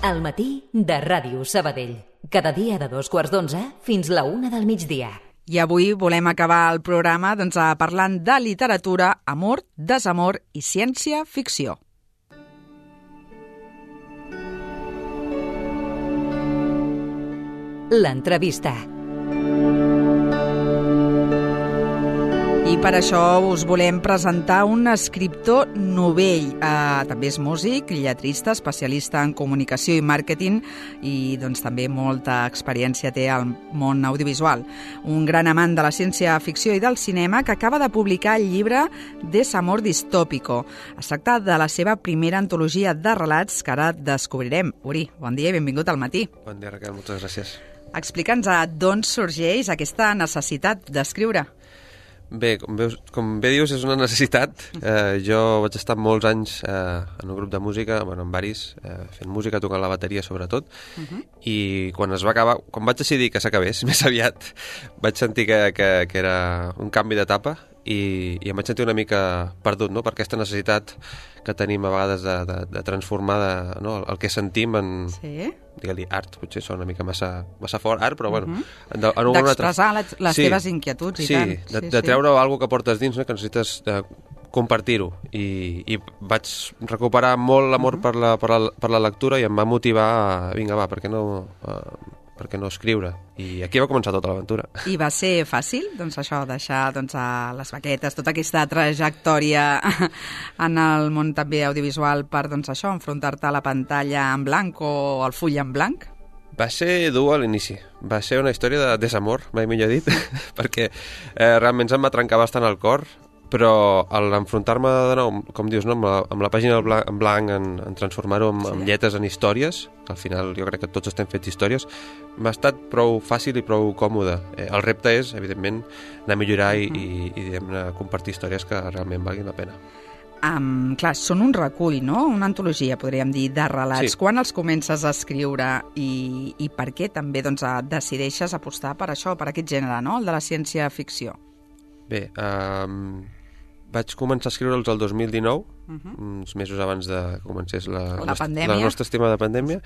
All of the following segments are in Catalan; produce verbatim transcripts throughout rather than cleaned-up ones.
Al matí de Ràdio Sabadell. Cada dia de dos quarts d'onze fins la una del migdia. I avui volem acabar el programa doncs, parlant de literatura, amor, desamor i ciència-ficció. L'entrevista. I per això us volem presentar un escriptor novell. Eh, també és músic, lletrista, especialista en comunicació i màrqueting i doncs, també molta experiència té al món audiovisual. Un gran amant de la ciència-ficció i del cinema que acaba de publicar el llibre Desamor distópico. Es tracta de la seva primera antologia de relats que ara descobrirem. Uri, bon dia i benvingut al matí. Bon dia, Raquel, moltes gràcies. Explica'ns d'on sorgeix aquesta necessitat d'escriure. Bé, com, veus, com bé dius, és una necessitat. Eh, jo vaig estar molts anys eh, en un grup de música, bueno, en varis, eh, fent música, tocant la bateria sobretot, uh-huh. I quan es va acabar, quan vaig decidir que s'acabés, més aviat, vaig sentir que, que, que era un canvi d'etapa i, i em vaig sentir una mica perdut, no?, per aquesta necessitat que tenim a vegades de, de, de transformar de, no?, el que sentim en... Sí? Digue-li art, potser sona una mica massa, massa fort, art, però bueno... Uh-huh. de, d'expressar altra... les, les sí, teves inquietuds i sí, tant. De, sí, de treure sí. Alguna que portes dins, no?, que necessites de compartir-ho. I, i vaig recuperar molt l'amor uh-huh. per, la, per, la, per la lectura i em va motivar a, vinga, va, per què no... Uh, per què no escriure? I aquí va començar tota l'aventura. I va ser fàcil, doncs, això, deixar doncs, a les baquetes, tota aquesta trajectòria en el món també audiovisual per, doncs, això, enfrontar-te a la pantalla en blanc o al full en blanc? Va ser dur a l'inici. Va ser una història de desamor, mai millor dit, perquè eh, realment se'm va trencar bastant el cor, però a l'enfrontar-me de nou, com dius, no, amb, la, amb la pàgina en blanc, en, en transformar-ho en, sí. en lletres, en històries, que al final jo crec que tots estem fets històries, m'ha estat prou fàcil i prou còmode. Eh, el repte és, evidentment, anar a millorar i, uh-huh. i, i diguem-ne, compartir històries que realment valguin la pena. Um, clar, són un recull, no? Una antologia, podríem dir, de relats. Sí. Quan els comences a escriure i, i per què també doncs, decideixes apostar per això, per aquest gènere, no? El de la ciència-ficció? Bé, um, vaig començar a escriure'ls el dos mil dinou, uh-huh. uns mesos abans de que comencés la, la, nostra, pandèmia. la nostra estimada pandèmia,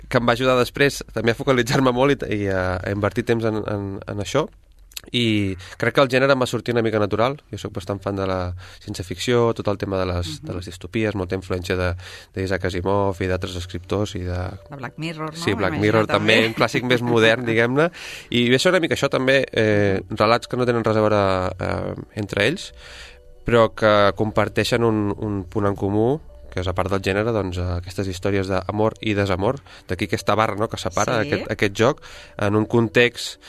que em va ajudar després també a focalitzar-me molt i, i a, a invertir temps en, en, en això. I crec que el gènere em va sortir una mica natural. Jo soc bastant fan de la ciència-ficció, tot el tema de les, uh-huh. de les distopies, molta influència d'Isaac Asimov i d'altres escriptors i de... de Black Mirror, no? Sí, Black Mirror també, un clàssic més modern, diguem-ne, i ve ser una mica això també, eh, relats que no tenen res a veure eh, entre ells, però que comparteixen un, un punt en comú, que és a part del gènere, doncs, aquestes històries d'amor i desamor, d'aquí aquesta barra, no?, que separa sí. aquest, aquest joc en un context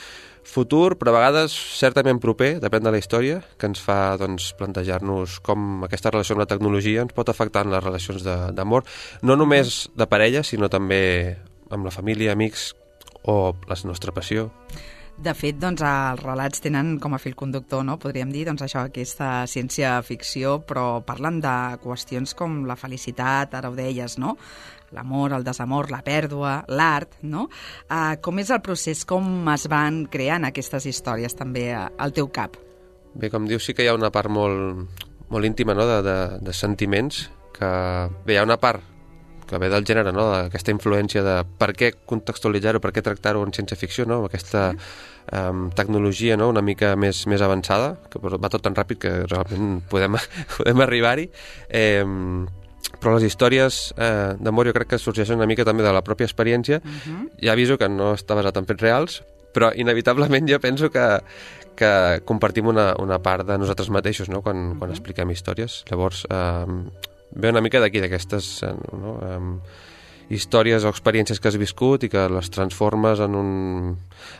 futur, però a vegades certament proper, depèn de la història, que ens fa doncs, plantejar-nos com aquesta relació amb la tecnologia ens pot afectar en les relacions d'amor, no només de parella, sinó també amb la família, amics o la nostra passió. De fet, doncs, els relats tenen com a fil conductor, no? Podríem dir, doncs, això, aquesta ciència-ficció, però parlen de qüestions com la felicitat, ara ho deies, no? L'amor, el desamor, la pèrdua, l'art, no? Uh, com és el procés? Com es van creant aquestes històries també al teu cap? Bé, com dius, sí que hi ha una part molt, molt íntima, no?, de, de, de sentiments, que bé, hi ha una part que ve del gènere, no?, d'aquesta influència de per què contextualitzar-ho, per què tractar-ho en ciència-ficció, no?, amb aquesta um, tecnologia, no?, una mica més, més avançada, que va tot tan ràpid que realment podem, podem arribar-hi. Eh, però les històries eh, d'amor jo crec que sorgeixen una mica també de la pròpia experiència. Uh-huh. Ja aviso que no està basat en fets reals, però inevitablement jo penso que, que compartim una, una part de nosaltres mateixos, no?, quan, uh-huh. quan expliquem històries. Llavors, eh, ve una mica d'aquí, d'aquestes no, um, històries o experiències que has viscut i que les transformes en un,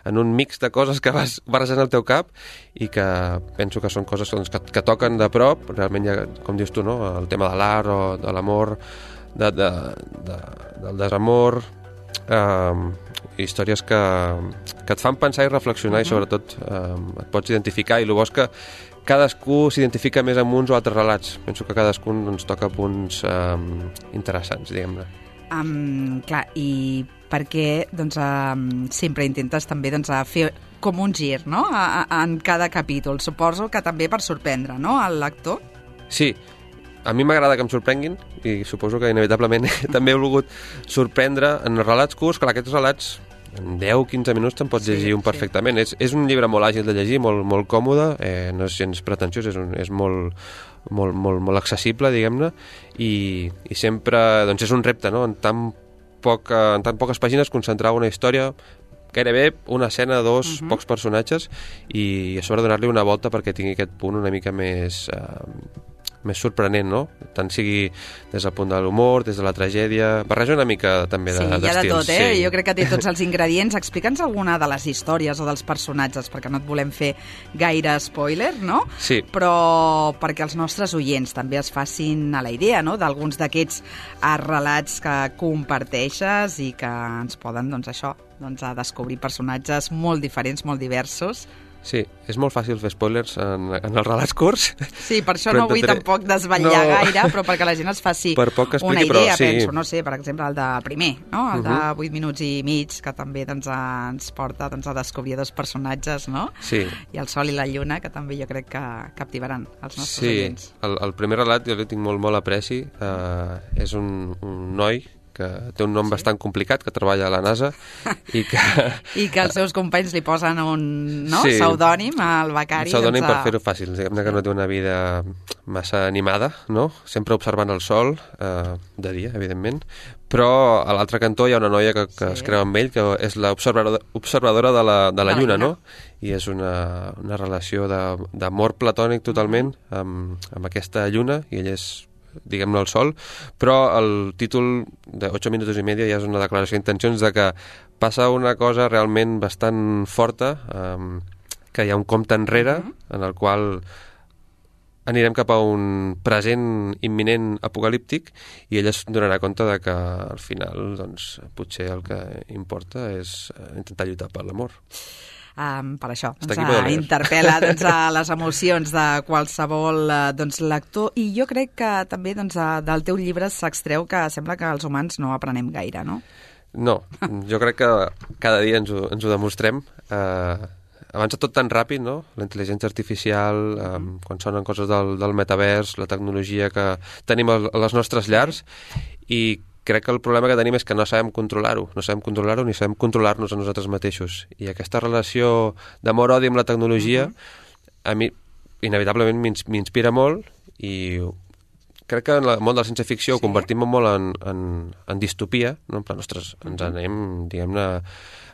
en un mix de coses que vas barrejant al teu cap i que penso que són coses doncs, que, que toquen de prop, realment ja, com dius tu, no? El tema de l'art o de l'amor, de, de, de, del desamor, um, històries que, que et fan pensar i reflexionar uh-huh. i sobretot um, et pots identificar i el bo és que cadascú s'identifica més amb uns o altres relats. Penso que cadascun doncs, toca punts um, interessants, diguem-ne. Um, clar, i per què doncs, um, sempre intentes també doncs, a fer com un gir, no?, a, a, en cada capítol. Suposo que també per sorprendre, no?, al lector. Sí, a mi m'agrada que em sorprenguin i suposo que inevitablement també he volgut sorprendre en relats curts, clar, aquests relats en deu a quinze minuts te'n pots llegir sí, un perfectament. Sí. És, és un llibre molt àgil de llegir, molt, molt còmode, eh, no és gens pretensiós, és, un, és molt, molt, molt, molt accessible, diguem-ne, i, i sempre doncs és un repte, no? En tan, poc, en tan poques pàgines concentrar una història, gairebé una escena, dos, uh-huh. pocs personatges, i a sobre donar-li una volta perquè tingui aquest punt una mica més... Eh, més sorprenent, no? Tant sigui des del punt de l'humor, des de la tragèdia... Barreja una mica també sí, d'estils. Sí, hi ha de tot, eh? Sí. Jo crec que té tots els ingredients. Explica'ns alguna de les històries o dels personatges, perquè no et volem fer gaire spoiler, no? Sí. Però perquè els nostres oients també es facin a la idea, no?, d'alguns d'aquests relats que comparteixes i que ens poden, doncs això, doncs, a descobrir personatges molt diferents, molt diversos. Sí, és molt fàcil fer spoilers en, en els relats curts. Sí, per això no vull intentaré... tampoc desvetllar no. gaire, però perquè la gent es faci expliqui, una idea, però, sí. penso, no sé, per exemple, el de primer, no? el uh -huh. de vuit minuts i mig, que també doncs, ens porta doncs, a descobrir dos personatges, no? Sí. I el sol i la lluna, que també jo crec que captivaran els nostres sí. oients. Sí, el, el primer relat jo li tinc molt, molt apreci. Uh, és un, un noi que té un nom sí. bastant complicat, que treballa a la NASA i que... I que els seus companys li posen un no? sí. pseudònim al becari. Un pseudònim doncs, per fer-ho fàcil. Diguem-ne sí. que no té una vida massa animada, no? Sempre observant el sol, eh, de dia, evidentment, però a l'altre cantó hi ha una noia que, que sí. es creu amb ell, que és l'observadora de la, de la, la lluna, no? I és una, una relació d'amor platònic totalment mm. amb, amb aquesta lluna, i ell és diguem-ne el sol, però el títol de ocho minutos y medio ja és una declaració d'intencions de que passa una cosa realment bastant forta, um, que hi ha un compte enrere, uh-huh. en el qual anirem cap a un present imminent apocalíptic, i ella es donarà compte de que al final doncs, potser el que importa és intentar lluitar per l'amor. Um, per això, doncs, uh, interpel·la doncs, a les emocions de qualsevol uh, doncs, lector, i jo crec que també doncs, uh, del teu llibre s'extreu que sembla que els humans no aprenem gaire, no? No, jo crec que cada dia ens ho, ens ho demostrem. Uh, avança tot tan ràpid, no? La intel·ligència artificial, um, quan sonen coses del, del metavers, la tecnologia que tenim a les nostres llars, i crec que el problema que tenim és que no sabem controlar-ho, no sabem controlar-ho ni sabem controlar-nos a nosaltres mateixos. I aquesta relació d'amor-odi amb la tecnologia, uh-huh. a mi, inevitablement, m'inspira molt, i crec que en el món de la ciència-ficció sí. ho convertim molt en, en, en distopia, no? En plan, ostres, ens anem, diguem-ne,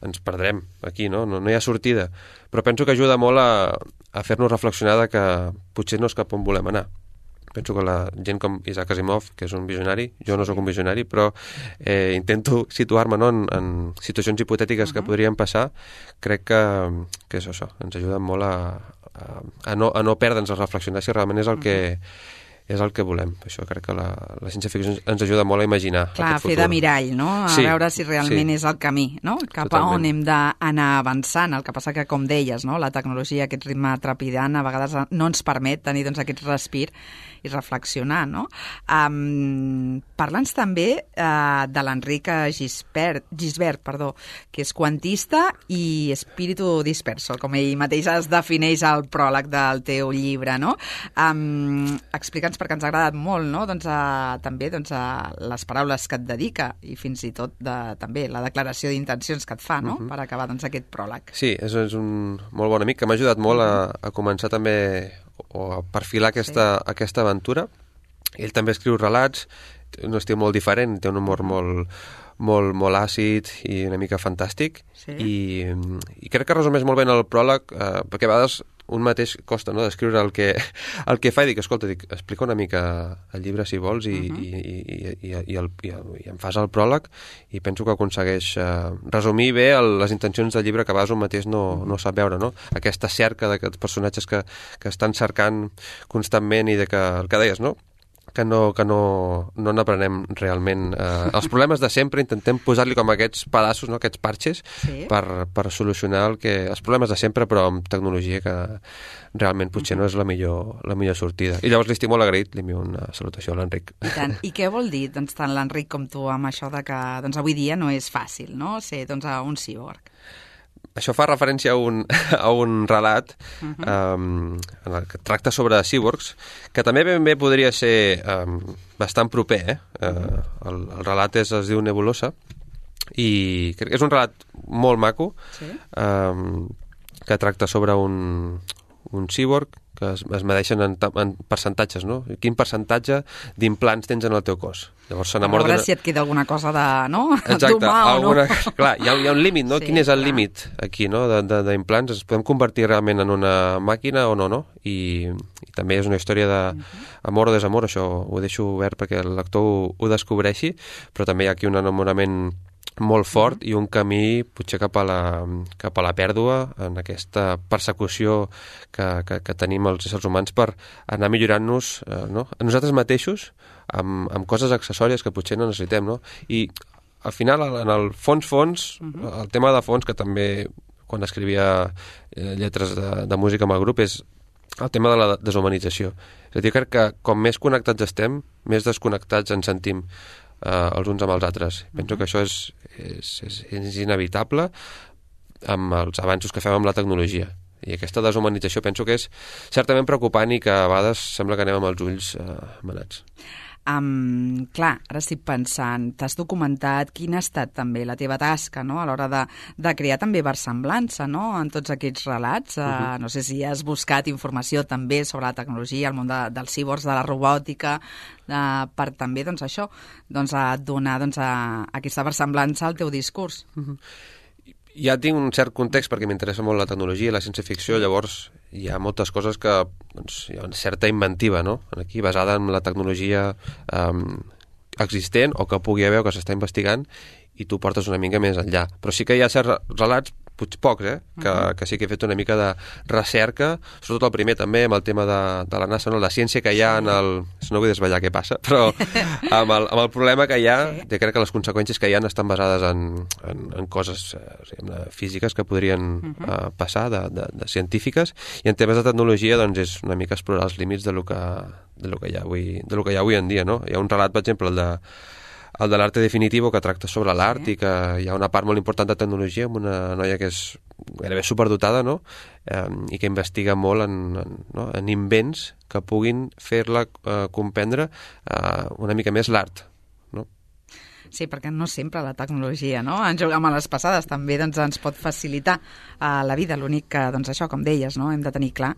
ens perdrem aquí, no? No, no hi ha sortida. Però penso que ajuda molt a, a fer-nos reflexionar de que potser no és cap on volem anar. Penso que la gent com Isaac Asimov, que és un visionari, jo no sóc un visionari, però eh, intento situar-me no, en, en situacions hipotètiques uh-huh. que podrien passar. Crec que, que és això, ens ajuda molt a, a, a, no, a no perdre'ns, a reflexionar si realment és el que és el que volem. Això crec que la, la ciència-ficció ens ajuda molt a imaginar Clar, aquest futur. Fer de mirall, no? A sí, veure si realment sí. és el camí, no? Cap Totalment. A on hem d'anar avançant. El que passa que, com deies, no? La tecnologia, aquest ritme trepidant, a vegades no ens permet tenir doncs, aquest respir i reflexionar, no? Um, Parla'ns també uh, de l'Enric Gisbert, Gisbert, perdó, que és quantista i espíritu disperso, com ell mateix es defineix al pròleg del teu llibre, no? Um, Explica'ns, perquè ens ha agradat molt, no? Doncs, uh, també doncs, uh, les paraules que et dedica i fins i tot de, també la declaració d'intencions que et fa, no? Uh-huh. Per acabar doncs, aquest pròleg. Sí, és, és un molt bon amic que m'ha ajudat molt a, a començar també o a perfilar aquesta, sí. aquesta aventura. Ell també escriu relats, té un estil molt diferent, té un humor molt, molt, molt àcid i una mica fantàstic, sí. I, i crec que resumeix molt bé el pròleg, eh, perquè a vegades un mateix costa, no?, d'escriure el que, el que fa i dic, escolta, dic, explica una mica el llibre si vols i, uh-huh. i, i, i, i, i, el, i, el, i em fas el pròleg, i penso que aconsegueix eh, resumir bé el, les intencions del llibre que a vegades un mateix no, uh-huh. no sap veure, no? Aquesta cerca d'aquests personatges que, que estan cercant constantment i de que, el que deies, no?, que no que no, no n'aprenem realment. Eh, els problemes de sempre intentem posar-li com aquests pedaços, no? Aquests parxes, sí. per, per solucionar el que, els problemes de sempre, però amb tecnologia que realment potser no és la millor, la millor sortida. I llavors li estic molt agraït, li envio una salutació a l'Enric. I tant. I què vol dir doncs, tant l'Enric com tu amb això de que doncs, avui dia no és fàcil, no?, ser doncs, un cíborg? això fa referència a un, a un relat uh-huh. um, en el que tracta sobre cyborgs, que també ben bé podria ser um, bastant proper. Eh? Uh, el, el relat és, es diu Nebulosa, i crec que és un relat molt maco, sí? um, que tracta sobre un, un cyborg que es, es medeixen en, en percentatges, no? Quin percentatge d'implants tens en el teu cos. Llavors s'enamora... A veure si et queda alguna cosa de... no? Exacte, alguna... no? Clar, hi ha, hi ha un límit, no? Sí, Quin és el clar. límit aquí, no? D'implants? Es podem convertir realment en una màquina o no, no? I, i també és una història d'amor o desamor, això ho deixo obert perquè el lector ho, ho descobreixi, però també hi ha aquí un enamorament molt fort i un camí potser cap a la, cap a la pèrdua en aquesta persecució que, que, que tenim els éssers humans per anar millorant-nos eh, no? a nosaltres mateixos amb, amb coses accessòries que potser no necessitem, no? I al final, en el fons-fons, uh-huh. el tema de fons, que també quan escrivia eh, lletres de, de música amb el grup, és el tema de la deshumanització. És a dir, crec que com més connectats estem, més desconnectats ens sentim Uh, els uns amb els altres. Penso uh-huh. que això és, és, és, és inevitable amb els avanços que fem amb la tecnologia. I aquesta deshumanització penso que és certament preocupant i que a vegades sembla que anem amb els ulls uh, manats. Um, clar, ara estic pensant, t'has documentat quina ha estat també la teva tasca, no?, a l'hora de, de crear també versemblança, no?, en tots aquests relats. Uh, uh-huh. No sé si has buscat informació també sobre la tecnologia, el món de, dels cíborgs, de la robòtica, de, per també, doncs, això, doncs, a donar doncs, a, a aquesta versemblança al teu discurs. Uh-huh. Ja tinc un cert context perquè m'interessa molt la tecnologia i la ciència-ficció, llavors hi ha moltes coses que doncs, hi ha una certa inventiva, no? Aquí, basada en la tecnologia um, existent o que pugui haver o que s'està investigant, i tu portes una mica més enllà. Però sí que hi ha certs relats, potser pocs, eh? que, uh-huh. que sí que he fet una mica de recerca, sobretot el primer també, amb el tema de, de la NASA, no? La ciència que hi ha en el... No vull desvetllar què passa, però amb el, amb el problema que hi ha, sí. jo crec que les conseqüències que hi ha estan basades en, en, en coses eh, físiques que podrien uh-huh. eh, passar, de, de, de científiques, i en temes de tecnologia doncs, és una mica explorar els límits de lo que, de lo que, hi, ha avui, de lo que hi ha avui en dia. No? Hi ha un relat, per exemple, el de el de l'arte definitivo, que tracta sobre l'art, sí. i que hi ha una part molt important de tecnologia amb una noia que és gairebé superdotada, no? eh, i que investiga molt en, en, no? en invents que puguin fer-la eh, comprendre eh, una mica més l'art. No? Sí, perquè no sempre la tecnologia, no? En jugar amb les passades també doncs, ens pot facilitar uh, la vida. L'únic que, doncs això, com deies, no? hem de tenir clar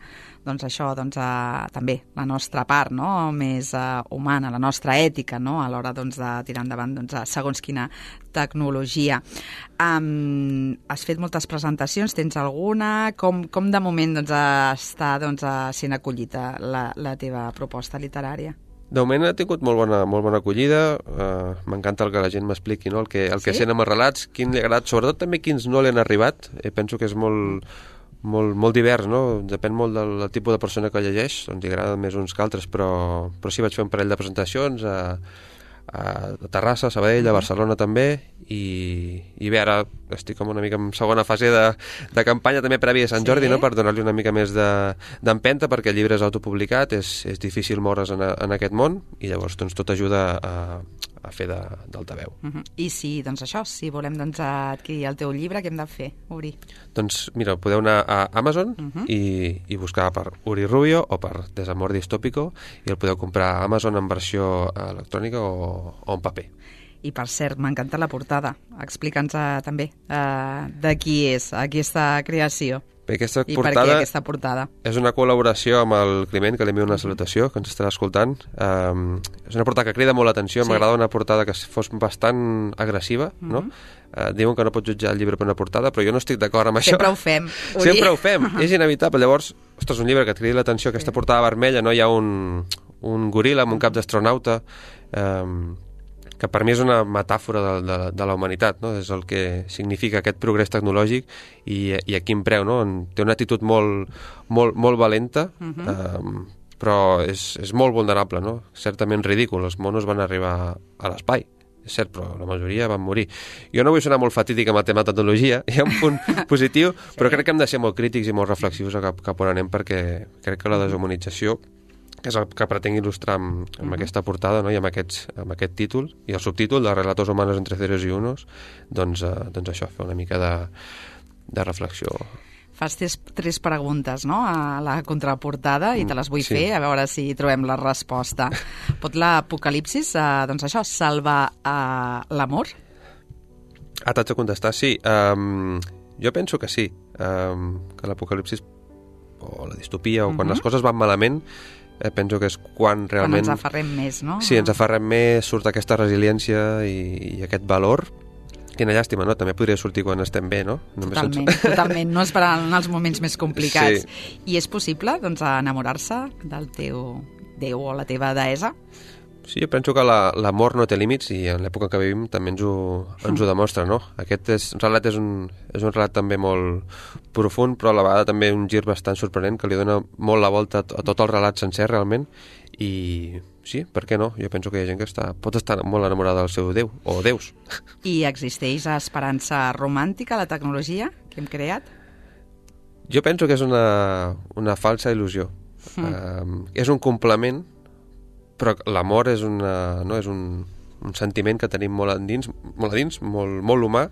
doncs això, doncs, uh, també la nostra part, no? més uh, humana, la nostra ètica, no? a l'hora doncs, de tirar endavant doncs, segons quina tecnologia. Um, has fet moltes presentacions, tens alguna? Com, com de moment doncs, està doncs, sent acollida la, la teva proposta literària? De moment ha tingut molt bona, molt bona acollida, uh, m'encanta el que la gent m'expliqui, no? el que, el que sí? sent amb els relats, quin li ha agradat, sobretot també quins no li han arribat. Eh, penso que és molt, molt, molt divers, no? Depèn molt del, del tipus de persona que llegeix, doncs li agraden més uns que altres, però, però sí vaig fer un parell de presentacions a, a Terrassa, a Sabadell, a Barcelona també, i, i bé, ara estic com una mica en segona fase de, de campanya també prèvia a Sant Jordi, sí. no? per donar-li una mica més d'empenta, de, perquè el llibre és autopublicat, és, és difícil moure's en, a, en aquest món, i llavors doncs, tot ajuda a, a fer d'altaveu. Uh-huh. I si, doncs això, si volem doncs, adquirir el teu llibre, què hem de fer, Uri? Doncs mira, podeu anar a Amazon uh-huh. i, i buscar per Uri Rubio o per Desamor Distópico, i el podeu comprar a Amazon en versió electrònica o, o en paper. I, per cert, m'encanta la portada. Explica'ns uh, també uh, de qui és aquesta creació. Bé, aquesta I portada per què aquesta portada? És una col·laboració amb el Climent, que li envio una salutació, que ens estarà escoltant. Um, és una portada que crida molt l'atenció. Sí. M'agrada una portada que fos bastant agressiva, mm-hmm. no? Uh, diuen que no pots jutjar el llibre per una portada, però jo no estic d'acord amb Sempre això. Ho fem, Sempre ho fem. És inevitable. Llavors, ostres, un llibre que et cridi l'atenció, aquesta sí. portada vermella, no? Hi ha un, un goril·la amb un cap d'astronauta, um, que per mi és una metàfora de, de, de la humanitat, no? És el que significa aquest progrés tecnològic i, i a quin preu, no? Té una actitud molt, molt, molt valenta, uh-huh. um, però és, és molt vulnerable, no? Certament ridícul. Els monos van arribar a l'espai, és cert, però la majoria van morir. Jo no vull sonar molt fatídic amb el tema de tecnologia, hi ha un punt positiu, sí. però crec que hem de ser molt crítics i molt reflexius cap, cap on anem, perquè crec que la deshumanització, que és el que pretenc il·lustrar amb, amb uh-huh. aquesta portada, no? I amb, aquests, amb aquest títol i el subtítol de Relatos humanos entre ceros y unos, doncs, eh, doncs això, fer una mica de, de reflexió. Fas tres, tres preguntes, no?, a la contraportada i te les vull Sí. fer, a veure si trobem la resposta. Pot l'apocalipsis, eh, doncs això, salvar eh, l'amor? Ah, t'haig de contestar, sí. Um, jo penso que sí, um, que l'apocalipsis o la distopia, o quan Mhm. les coses van malament, eh, penso que és quan realment... Quan ens aferrem més, no? Sí, ens aferrem més, surt aquesta resiliència i, i aquest valor. Quina llàstima, no? També podria sortir quan estem bé, no? Només Totalment, ens... totalment. No esperant en els moments més complicats. Sí. I és possible, doncs, enamorar-se del teu déu o la teva deessa? Sí, jo penso que la- l'amor no té límits i en l'època que vivim també ens ho, ens ho demostra, no? Aquest és, relat és un, és un relat també molt profund, però a la vegada també un gir bastant sorprenent que li dona molt la volta a, a tot el relat sencer, realment, i sí, per què no? Jo penso que hi ha gent que està, pot estar molt enamorada del seu déu, o déus. I existeix esperança romàntica a la tecnologia que hem creat? Jo penso que és una, una falsa il·lusió. Mm. Um, és un complement, però l'amor és, una, no? és un, un sentiment que tenim molt endins, molt, a dins, molt, molt humà,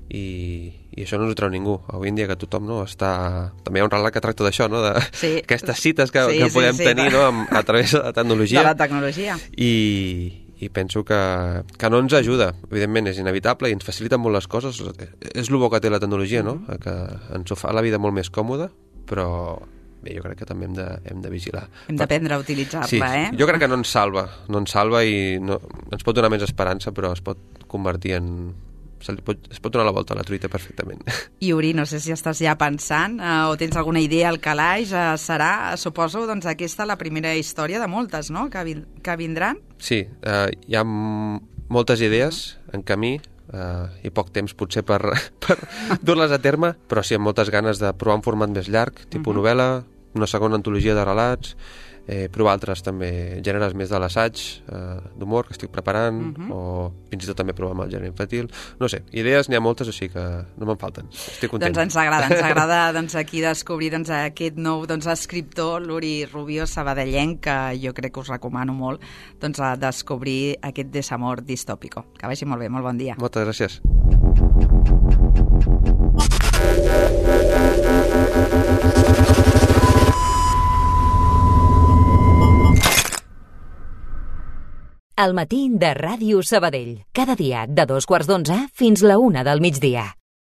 i, i això no ens ho treu ningú. Avui en dia que tothom no, està... També hi ha un relat que tracta d'això, no? De Sí. aquestes cites que, Sí, que sí, podem sí, tenir de- no? Amb, a través de la tecnologia. De la tecnologia. I, i penso que, que no ens ajuda. Evidentment és inevitable i ens facilita molt les coses. És el bo que té la tecnologia, no? Que ens ho fa la vida molt més còmoda, però bé, jo crec que també hem de, hem de vigilar. Hem d'aprendre a utilitzar-la, Sí, eh? jo crec que no ens salva, no ens salva i no, ens pot donar més esperança, però es pot convertir en... Se li pot, es pot donar la volta a la truita perfectament. I Uri, no sé si estàs ja pensant eh, o tens alguna idea al calaix, eh, serà, suposo, doncs aquesta la primera història de moltes, no?, que, vi que vindran? Sí, eh, hi ha m- moltes idees en camí eh, i poc temps potser per, per dur-les a terme, però sí, amb moltes ganes de provar un format més llarg, tipus uh-huh. novel·la, una segona antologia de relats, eh, provar altres també gèneres més de l'assaig, eh, d'humor que estic preparant, uh-huh. o fins i tot també provar amb el gènere infantil. No sé, idees n'hi ha moltes, així que no me'n falten. Estic content. Doncs ens agrada, ens agrada doncs, aquí descobrir doncs, aquest nou doncs, escriptor, l'Uri Rubio, sabadellenc, que jo crec que us recomano molt doncs, a descobrir aquest desamor distòpico. Que vagi molt bé, molt bon dia. Moltes gràcies. El matí de Ràdio Sabadell. Cada dia de dos quarts d'onze fins la una del migdia.